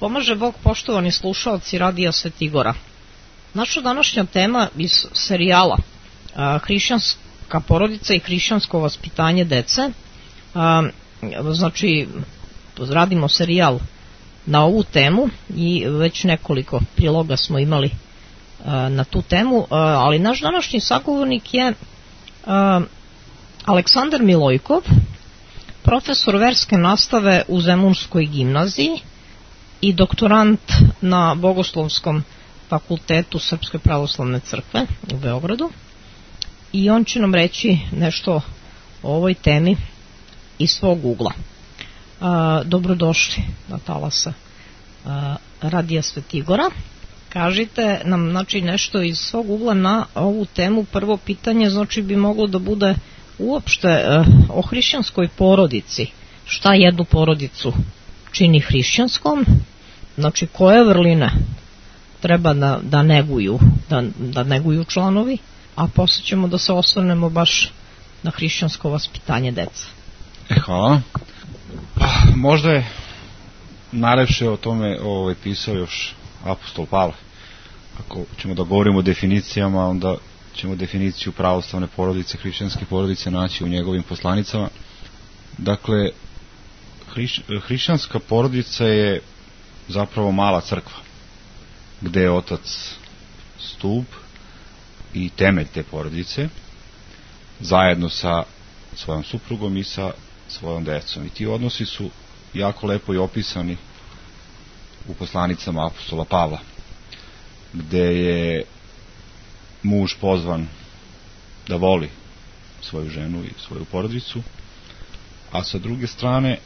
Pomaže Bog, poštovani slušalci Radija Svetigora. Naša današnja tema iz serijala Hrišćanska porodica i hrišćansko vaspitanje dece, znači radimo serijal na ovu temu i već nekoliko priloga smo imali na tu temu, ali naš današnji sagovornik je Aleksandar Milojkov, profesor verske nastave u Zemunskoj gimnaziji i doktorant na Bogoslovskom fakultetu Srpske pravoslavne crkve u Beogradu, i on će nam reći nešto o ovoj temi iz svog ugla. Dobrodošli na talase Radija Svetigora. Kažite nam, znači, nešto iz svog ugla na ovu temu. Prvo pitanje, znači, bi moglo da bude uopšte o hrišćanskoj porodici. Šta jednu porodicu čini hrišćanskom? Znači, koje vrline treba da neguju članovi, a posle ćemo da se osvrnemo baš na hrišćansko vaspitanje deca. Hvala. Možda je najlepše o tome pisao još apostol Pavle. Ako ćemo da govorimo o definicijama, onda ćemo definiciju pravoslavne porodice, hrišćanske porodice naći u njegovim poslanicama. Dakle, hrišćanska porodica je zapravo mala crkva, gde je otac stub i temelj te porodice, zajedno sa svojom suprugom i sa svojom decom. I ti odnosi su jako lepo i opisani u poslanicama apostola Pavla, gde je muž pozvan da voli svoju ženu i svoju porodicu, a sa druge strane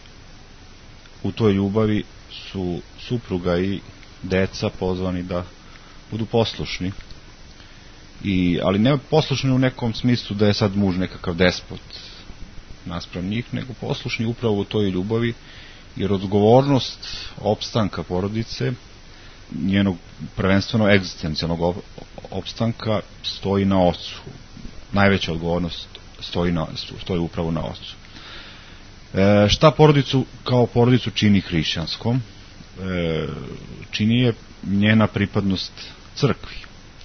u toj ljubavi su supruga i deca pozvani da budu poslušni, ali ne poslušni u nekom smislu da je sad muž nekakav despot naspram njih, nego poslušni upravo u toj ljubavi, jer odgovornost opstanka porodice, njenog prvenstveno egzistencijalnog opstanka, stoji na ocu. Najveća odgovornost stoji upravo na ocu. Šta porodicu kao porodicu čini hrišćanskom? Čini je njena pripadnost crkvi.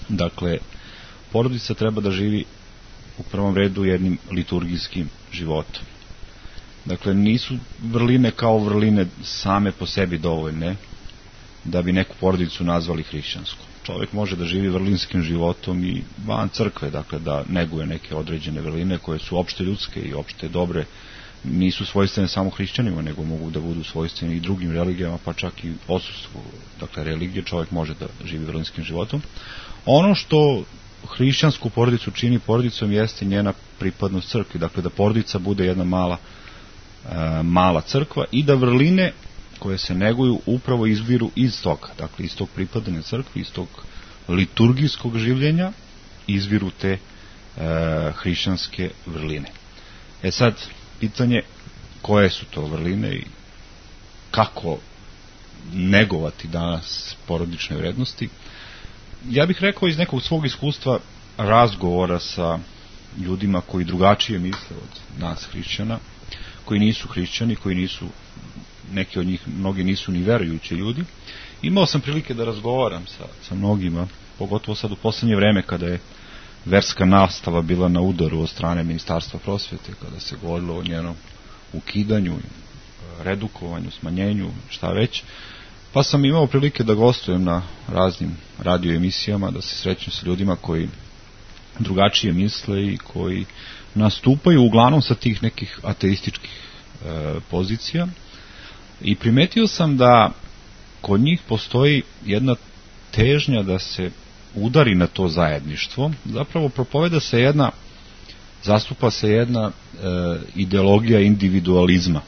Dakle, porodica treba da živi u prvom redu jednim liturgijskim životom. Dakle, nisu vrline kao vrline same po sebi dovoljne da bi neku porodicu nazvali hrišćanskom. Čovjek može da živi vrlinskim životom i van crkve, dakle da neguje neke određene vrline koje su opšte ljudske i opšte dobre, nisu svojstvene samo hrišćanima, nego mogu da budu svojstvene i drugim religijama, pa čak i odsustvu, dakle, religije, čovjek može da živi vrlinskim životom. Ono što hrišćansku porodicu čini porodicom jeste njena pripadnost crkvi, dakle da porodica bude jedna mala crkva i da vrline koje se neguju upravo izviru iz toga, dakle iz tog pripadanja crkvi, iz tog liturgijskog življenja izviru te hrišćanske vrline. Sad, pitanje koje su to vrline i kako negovati danas porodične vrednosti. Ja bih rekao iz nekog svog iskustva razgovora sa ljudima koji drugačije misle od nas hrišćana, koji nisu hrišćani, neki od njih, mnogi nisu ni verujući ljudi. Imao sam prilike da razgovaram sa mnogima, pogotovo sad u poslednje vreme kada je verska nastava bila na udaru od strane Ministarstva prosvete, kada se govorilo o njenom ukidanju, redukovanju, smanjenju, šta već. Pa sam imao prilike da gostujem na raznim radio emisijama, da se srećem sa ljudima koji drugačije misle i koji nastupaju uglavnom sa tih nekih ateističkih pozicija. I primetio sam da kod njih postoji jedna težnja da se udari na to zajedništvo. Zapravo zastupa se jedna ideologija individualizma,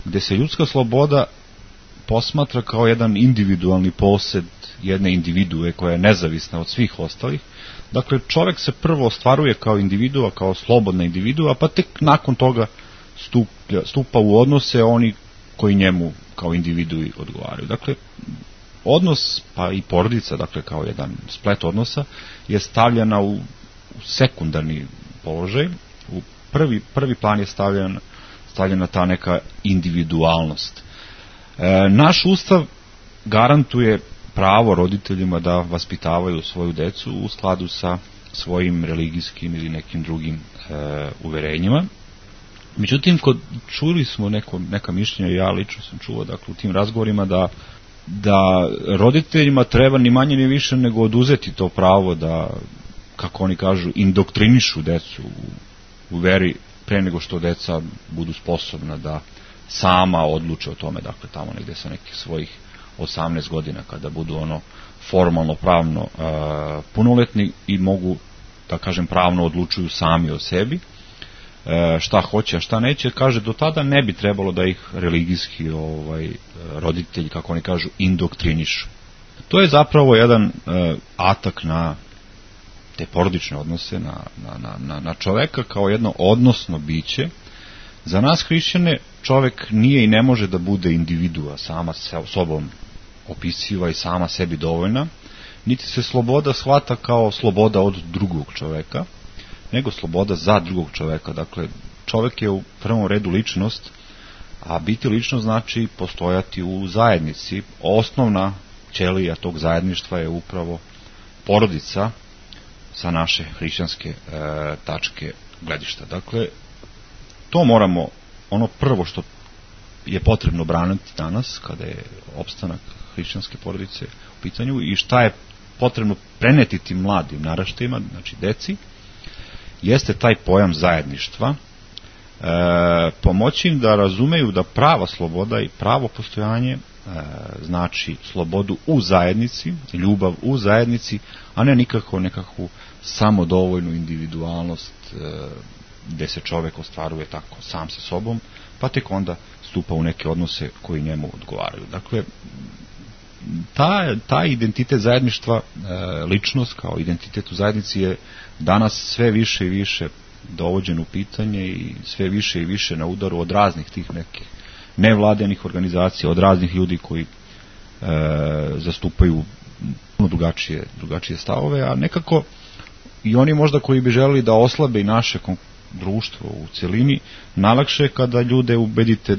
gde se ljudska sloboda posmatra kao jedan individualni posed jedne individue koja je nezavisna od svih ostalih. Dakle, čovjek se prvo ostvaruje kao individua, kao slobodna individua, pa tek nakon toga stupa u odnose oni koji njemu kao individui odgovaraju. Dakle, odnos, pa i porodica, dakle kao jedan splet odnosa, je stavljena u sekundarni položaj. U prvi plan je stavljena ta neka individualnost. Naš ustav garantuje pravo roditeljima da vaspitavaju svoju decu u skladu sa svojim religijskim ili nekim drugim uverenjima. Međutim, čuli smo neka mišljenja, ja lično sam čuo, dakle, u tim razgovorima da roditeljima treba ni manje ni više nego oduzeti to pravo da, kako oni kažu, indoktrinišu decu u veri pre nego što deca budu sposobna da sama odluče o tome, dakle, tamo negde sa nekih svojih 18 godina, kada budu formalno, pravno punoletni i mogu, da kažem, pravno odlučuju sami o sebi, šta hoće, a šta neće. Kaže, do tada ne bi trebalo da ih religijski roditelji, kako oni kažu, indoktrinišu. To je zapravo jedan atak na te porodične odnose, na čoveka kao jedno odnosno biće. Za nas hrišćane čovek nije i ne može da bude individua, sama sobom opisiva i sama sebi dovoljna, niti se sloboda shvata kao sloboda od drugog čoveka, nego sloboda za drugog čoveka. Dakle, čovek je u prvom redu ličnost, a biti ličnost znači postojati u zajednici. Osnovna ćelija tog zajedništva je upravo porodica sa naše hrišćanske tačke gledišta. Dakle, to moramo, ono prvo što je potrebno braniti danas, kada je opstanak hrišćanske porodice u pitanju, i šta je potrebno preneti tim mladim naraštajima, znači deci, jeste taj pojam zajedništva, pomoći im da razumeju da prava sloboda i pravo postojanje znači slobodu u zajednici, ljubav u zajednici, a ne nikako nekakvu samodovoljnu individualnost gde se čovek ostvaruje tako sam sa sobom, pa tek onda stupa u neke odnose koji njemu odgovaraju. Dakle, taj identitet zajedništva, ličnost kao identitet u zajednici je danas sve više i više dovođen u pitanje i sve više i više na udaru od raznih tih nekih nevladenih organizacija, od raznih ljudi koji zastupaju puno drugačije stavove, a nekako i oni možda koji bi želeli da oslabe i naše društvo u celini, najlakše kada ljude ubedite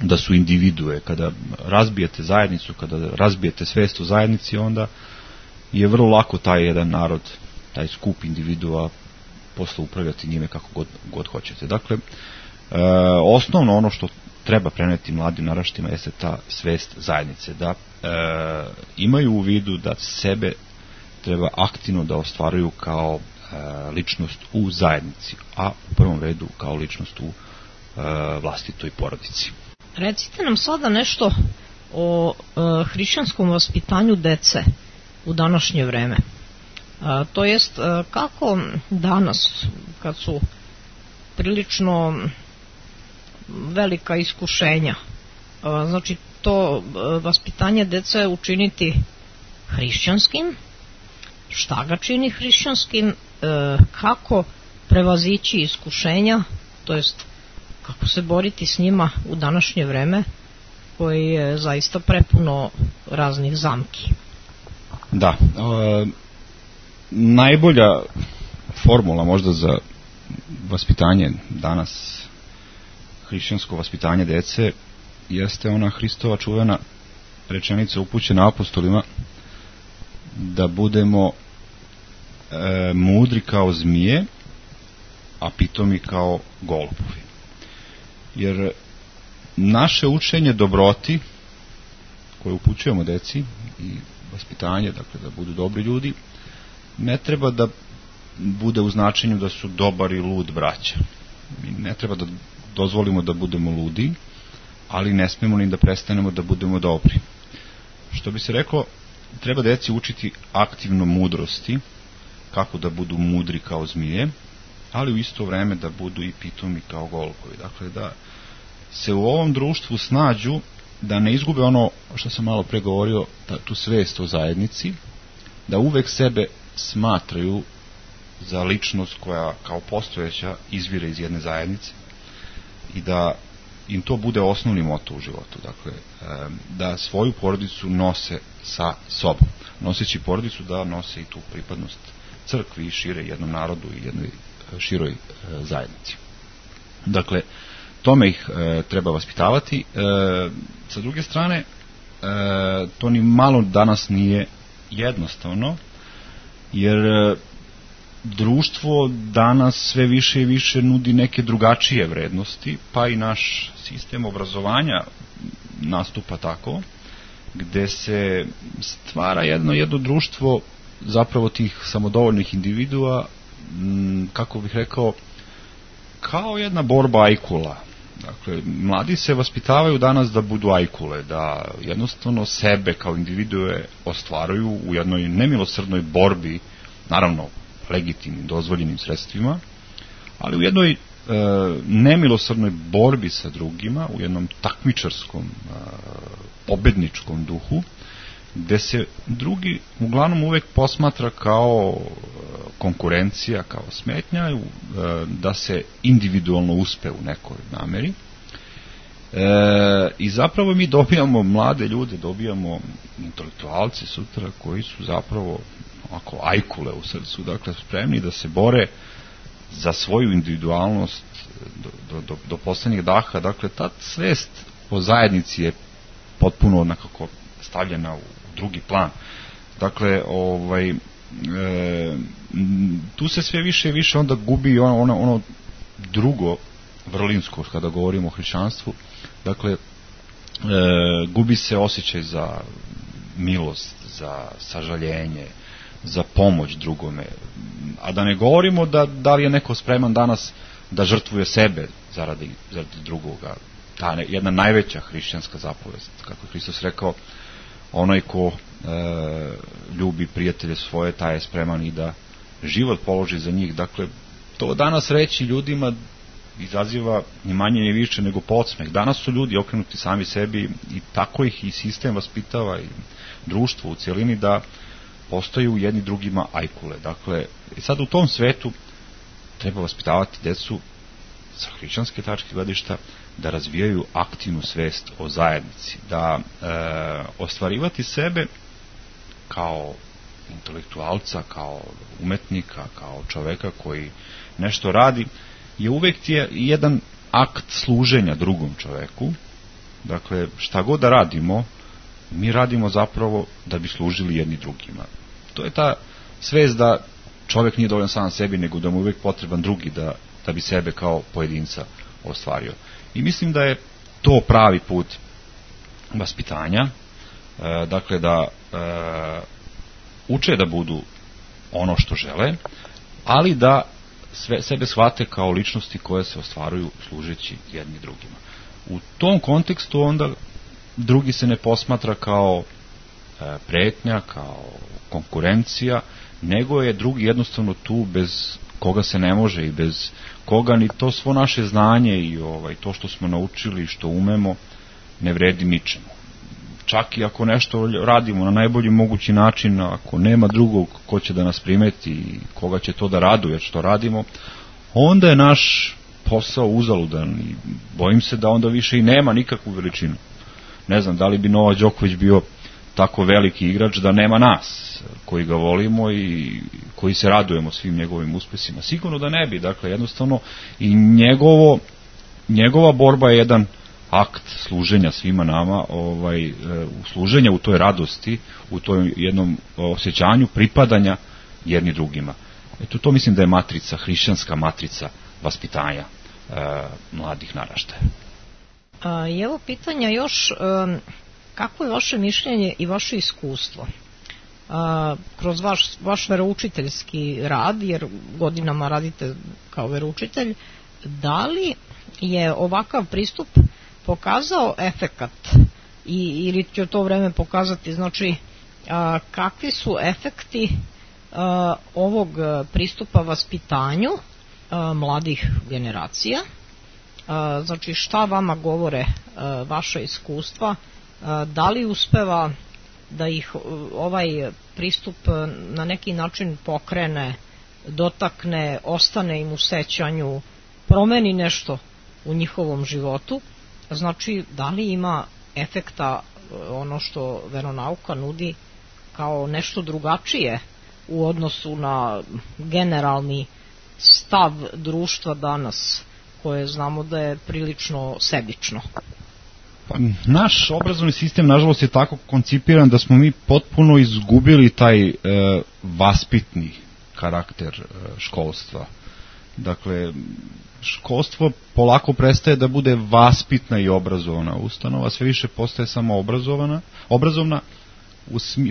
da su individue. Kada razbijete zajednicu, kada razbijete svest o zajednici, onda je vrlo lako taj jedan narod, taj skup individua posle upravljati njime kako god hoćete. Dakle, osnovno ono što treba preneti mladim naraštima jeste ta svest zajednice, da imaju u vidu da sebe treba aktivno da ostvaruju kao ličnost u zajednici, a u prvom redu kao ličnost u vlastitoj porodici. Recite nam sada nešto o hrišćanskom vaspitanju dece u današnje vreme. To jest, kako danas, kad su prilično velika iskušenja, znači to vaspitanje dece učiniti hrišćanskim, šta ga čini hrišćanskim, kako prevazići iskušenja, to jest kako se boriti s njima u današnje vreme koji je zaista prepuno raznih zamki. Da, najbolja formula možda za vaspitanje danas, hrišćansko vaspitanje dece, jeste ona Hristova čuvena rečenica upućena apostolima da budemo mudri kao zmije, a pitomi kao golubovi. Jer naše učenje dobroti koje upućujemo deci i vaspitanje, dakle da budu dobri ljudi, ne treba da bude u značenju da su dobar i lud braća. Mi ne treba da dozvolimo da budemo ludi, ali ne smemo ni da prestanemo da budemo dobri. Što bi se reklo, treba deci učiti aktivno mudrosti, kako da budu mudri kao zmije, ali u isto vreme da budu i pitomi kao golubovi. Dakle, da se u ovom društvu snađu, da ne izgube ono što sam malo pre govorio, tu svest o zajednici, da uvek sebe smatraju za ličnost koja kao postojeća izvire iz jedne zajednice i da im to bude osnovni moto u životu. Dakle, da svoju porodicu nose sa sobom. Noseći porodicu da nose i tu pripadnost crkvi i šire jednom narodu i jednoj široj zajednici. Dakle, tome ih treba vaspitavati. Sa druge strane, to ni malo danas nije jednostavno, jer društvo danas sve više i više nudi neke drugačije vrednosti, pa i naš sistem obrazovanja nastupa tako, gde se stvara jedno društvo zapravo tih samodovoljnih individua, kako bih rekao, kao jedna borba ajkula. Dakle, mladi se vaspitavaju danas da budu ajkule, da jednostavno sebe kao individue ostvaruju u jednoj nemilosrdnoj borbi, naravno legitimnim, dozvoljenim sredstvima, ali u jednoj nemilosrdnoj borbi sa drugima, u jednom takmičarskom, pobedničkom duhu, gde se drugi uglavnom uvek posmatra kao konkurencija, kao smetnja, da se individualno uspe u nekoj nameri. I zapravo mi dobijamo mlade ljude, dobijamo intelektualce sutra koji su zapravo ako ajkule u srcu, dakle spremni da se bore za svoju individualnost do poslednjeg daha. Dakle, ta svest o zajednici je potpuno nekako stavljena u drugi plan. Dakle, tu se sve više i više onda gubi ono drugo vrlinsko kada govorimo o hrišćanstvu. Dakle, gubi se osjećaj za milost, za sažaljenje, za pomoć drugome. A da ne govorimo da li je neko spreman danas da žrtvuje sebe zaradi drugoga. Ta jedna najveća hrišćanska zapovest, kako je Hristos rekao, onaj ko ljubi prijatelje svoje, taj je spreman i da život položi za njih. Dakle, to danas reći ljudima izaziva ni manje ni više nego podsmeh. Danas su ljudi okrenuti sami sebi i tako ih i sistem vaspitava i društvo u cijelini da postaju jedni drugima ajkule. Dakle, sad u tom svetu treba vaspitavati decu sa hrišćanske tačke gledišta da razvijaju aktivnu svest o zajednici, da ostvarivati sebe kao intelektualca, kao umetnika, kao čoveka koji nešto radi, je uvek jedan akt služenja drugom čoveku. Dakle, šta god da radimo, mi radimo zapravo da bi služili jedni drugima. To je ta svest da čovek nije dovoljan sam sebi, nego da mu uvek potreban drugi da bi sebe kao pojedinca ostvario. I mislim da je to pravi put vaspitanja, dakle da uče da budu ono što žele, ali da sebe shvate kao ličnosti koje se ostvaruju služeći jedni drugima. U tom kontekstu onda drugi se ne posmatra kao pretnja, kao konkurencija, nego je drugi jednostavno tu bez koga se ne može i bez koga ni to svo naše znanje i to što smo naučili, što umemo, ne vredi ničemu. Čak i ako nešto radimo na najbolji mogući način, ako nema drugog ko će da nas primeti i koga će to da raduje što radimo, onda je naš posao uzaludan i bojim se da onda više i nema nikakvu veličinu. Ne znam, da li bi Novak Đoković bio tako veliki igrač da nema nas koji ga volimo i koji se radujemo svim njegovim uspesima. Sigurno da ne bi. Dakle, jednostavno i njegova borba je jedan akt služenja svima nama, služenja u toj radosti, u toj jednom osjećanju pripadanja jedni drugima. Eto, to mislim da je matrica, hrišćanska matrica vaspitanja mladih naraštaja. I evo pitanja još, kako je vaše mišljenje i vaše iskustvo kroz vaš veroučiteljski rad, jer godinama radite kao veroučitelj, da li je ovakav pristup pokazao efekat ili će to vreme pokazati, znači kakvi su efekti ovog pristupa vaspitanju mladih generacija, znači šta vama govore vaša iskustva, da li uspeva da ih ovaj pristup na neki način pokrene, dotakne, ostane im u sećanju, promeni nešto u njihovom životu, znači da li ima efekta ono što veronauka nudi kao nešto drugačije u odnosu na generalni stav društva danas, koje znamo da je prilično sebično. Pa, naš obrazovni sistem, nažalost, je tako koncipiran da smo mi potpuno izgubili taj vaspitni karakter školstva. Dakle, školstvo polako prestaje da bude vaspitna i obrazovana ustanova, sve više postaje samo obrazovna,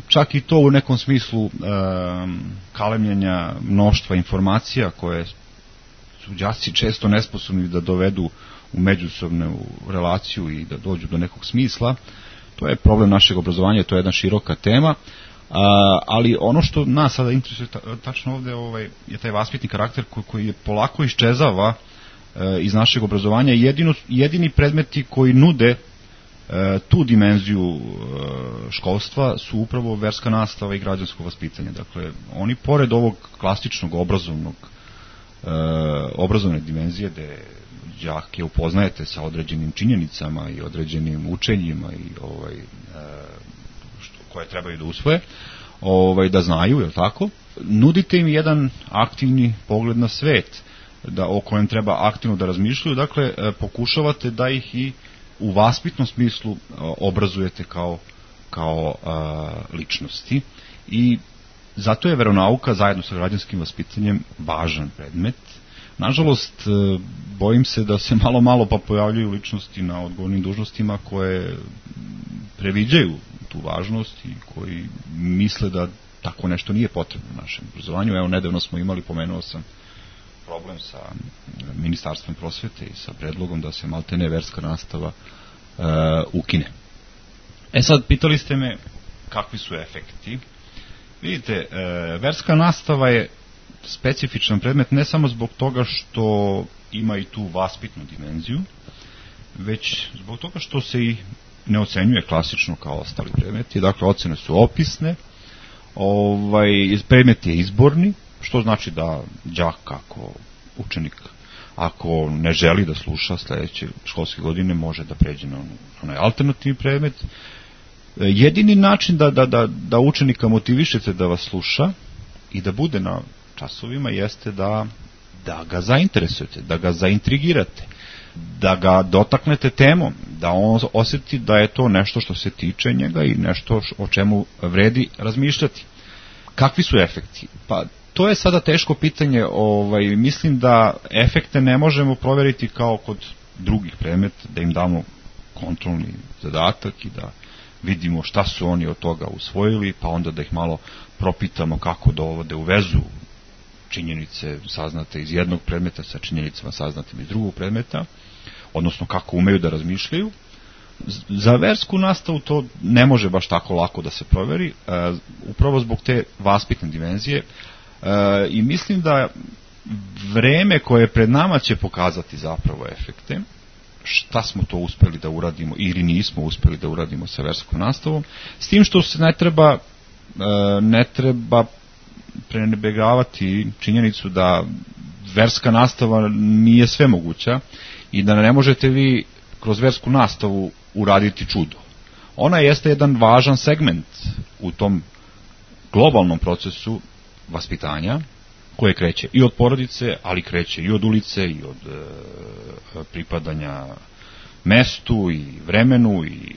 čak i to u nekom smislu kalemljenja mnoštva informacija koje su đaci često nesposobni da dovedu u međusobnu relaciju i da dođu do nekog smisla. To je problem našeg obrazovanja, to je jedna široka tema, ali ono što nas sada interesuje tačno ovde je taj vaspitni karakter koji je polako iščezava iz našeg obrazovanja. Jedini predmeti koji nude tu dimenziju školstva su upravo verska nastava i građansko vaspitanje. Dakle, oni pored ovog klasičnog obrazovne dimenzije gde đake upoznajete sa određenim činjenicama i određenim učenjima i koje trebaju da usvoje, da znaju, je li tako? Nudite im jedan aktivni pogled na svet, o kojem treba aktivno da razmišljaju, dakle, pokušavate da ih i u vaspitnom smislu obrazujete kao ličnosti i zato je veronauka zajedno sa građanskim vaspitanjem važan predmet. Nažalost, bojim se da se malo pa pojavljuju ličnosti na odgovornim dužnostima koje previđaju tu važnost i koji misle da tako nešto nije potrebno u našem obrazovanju. Evo, nedavno smo imali, pomenuo sam, problem sa Ministarstvom prosvete i sa predlogom da se maltene verska nastava ukine. Sad, pitali ste me kakvi su efekti. Vidite, verska nastava je specifičan predmet ne samo zbog toga što ima i tu vaspitnu dimenziju, već zbog toga što se i ne ocenjuje klasično kao ostali predmeti. Dakle, ocene su opisne, predmet je izborni, što znači da đak ako učenik ako ne želi da sluša sledeće školske godine može da pređe na onaj alternativni predmet. Jedini način da učenika motivišete da vas sluša i da bude na časovima jeste da ga zainteresujete, da ga zaintrigirate, da ga dotaknete temom, da on osjeti da je to nešto što se tiče njega i nešto o čemu vredi razmišljati. Kakvi su efekti? Pa to je sada teško pitanje, mislim da efekte ne možemo proveriti kao kod drugih predmeta, da im damo kontrolni zadatak i da vidimo šta su oni od toga usvojili, pa onda da ih malo propitamo kako dovode u vezu činjenice saznate iz jednog predmeta sa činjenicama saznatim iz drugog predmeta, odnosno kako umeju da razmišljaju. Za versku nastavu to ne može baš tako lako da se proveri, upravo zbog te vaspitne dimenzije, i mislim da vreme koje pred nama će pokazati zapravo efekte, šta smo to uspeli da uradimo ili nismo uspeli da uradimo sa verskom nastavom, s tim što se ne treba prenebregavati činjenicu da verska nastava nije sve moguća i da ne možete vi kroz versku nastavu uraditi čudo. Ona jeste jedan važan segment u tom globalnom procesu vaspitanja koje kreće i od porodice, ali kreće i od ulice i od pripadanja mestu i vremenu i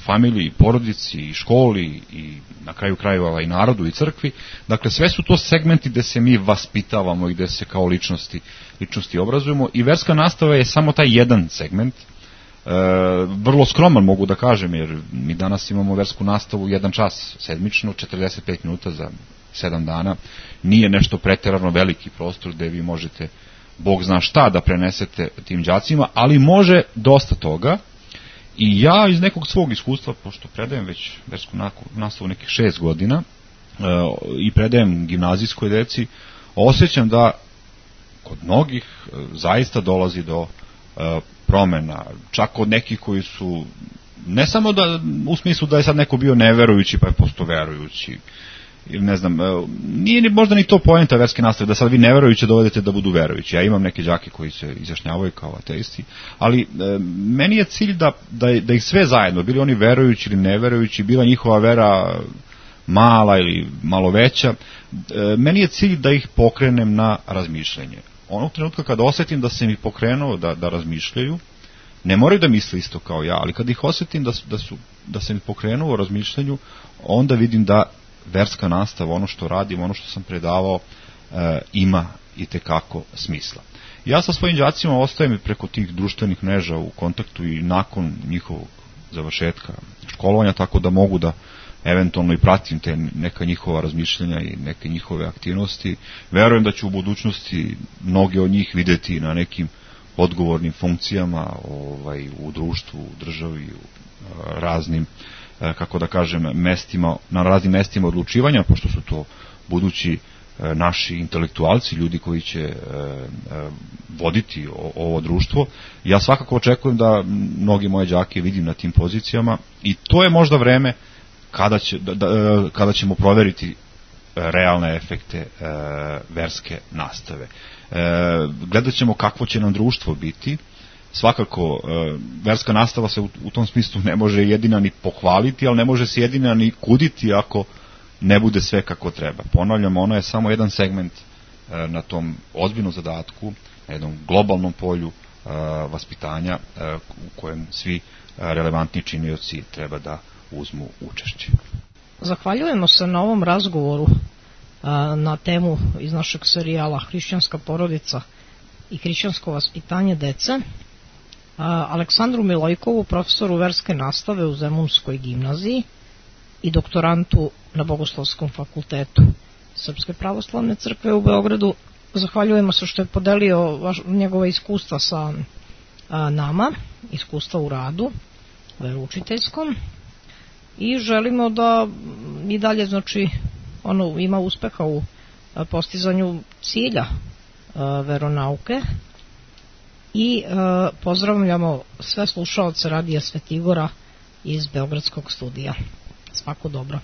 familiji, i porodici i školi i na kraju krajeva i narodu i crkvi. Dakle, sve su to segmenti gde se mi vaspitavamo i gde se kao ličnosti obrazujemo i verska nastava je samo taj jedan segment. Vrlo skroman mogu da kažem, jer mi danas imamo versku nastavu 1 čas sedmično, 45 minuta za 7 dana. Nije nešto preterano veliki prostor gde vi možete Bog zna šta da prenesete tim đacima, ali može dosta toga. I ja iz nekog svog iskustva, pošto predajem već versku nastavu nekih 6 godina i predajem gimnazijskoj deci, osjećam da kod mnogih zaista dolazi do promena, čak kod nekih koji su ne samo da u smislu da je sad neko bio neverujući pa je postao verujući, ili ne znam, nije ni možda ni to poenta verske nastave, da sad vi neverujuće dovedete da budu verujući. Ja imam neke đake koji se izjašnjavaju kao ateisti, ali meni je cilj da ih sve zajedno, bili oni verujući ili neverujući, bila njihova vera mala ili malo veća, meni je cilj da ih pokrenem na razmišljanje. Onog trenutka kada osjetim da sam ih pokrenuo da razmišljaju, ne moraju da misle isto kao ja, ali kad ih osjetim da se mi pokrenuo u razmišljanju, onda vidim da verska nastava, ono što radim, ono što sam predavao, ima i tekako smisla. Ja sa svojim đacima ostajem preko tih društvenih mreža u kontaktu i nakon njihovog završetka školovanja, tako da mogu da eventualno i pratim te neka njihova razmišljanja i neke njihove aktivnosti. Verujem da ću u budućnosti mnoge od njih videti na nekim odgovornim funkcijama u društvu, u državi, u raznim, kako da kažem, mestima, na raznim mestima odlučivanja, pošto su to budući naši intelektualci, ljudi koji će voditi ovo društvo. Ja svakako očekujem da mnogi moje đake vidim na tim pozicijama i to je možda vreme kada ćemo proveriti realne efekte verske nastave. Gledat ćemo kakvo će nam društvo biti. Svakako, verska nastava se u tom smislu ne može jedina ni pohvaliti, ali ne može se jedina ni kuditi ako ne bude sve kako treba. Ponavljam, ono je samo jedan segment na tom ozbiljnom zadatku, na jednom globalnom polju vaspitanja u kojem svi relevantni činioci treba da uzmu učešće. Zahvaljujemo se na ovom razgovoru na temu iz našeg serijala Hrišćanska porodica i hrišćansko vaspitanje dece, Aleksandru Milojkovu, profesoru verske nastave u Zemunskoj gimnaziji i doktorantu na Bogoslovskom fakultetu Srpske pravoslavne crkve u Beogradu. Zahvaljujemo se što je podelio njegove iskustva sa nama, iskustva u radu veroučiteljskom, i želimo da i dalje, znači, ono ima uspeha u postizanju cilja veronauke i pozdravljamo sve slušaoce Radija Svetigora iz Beogradskog studija. Svako dobro.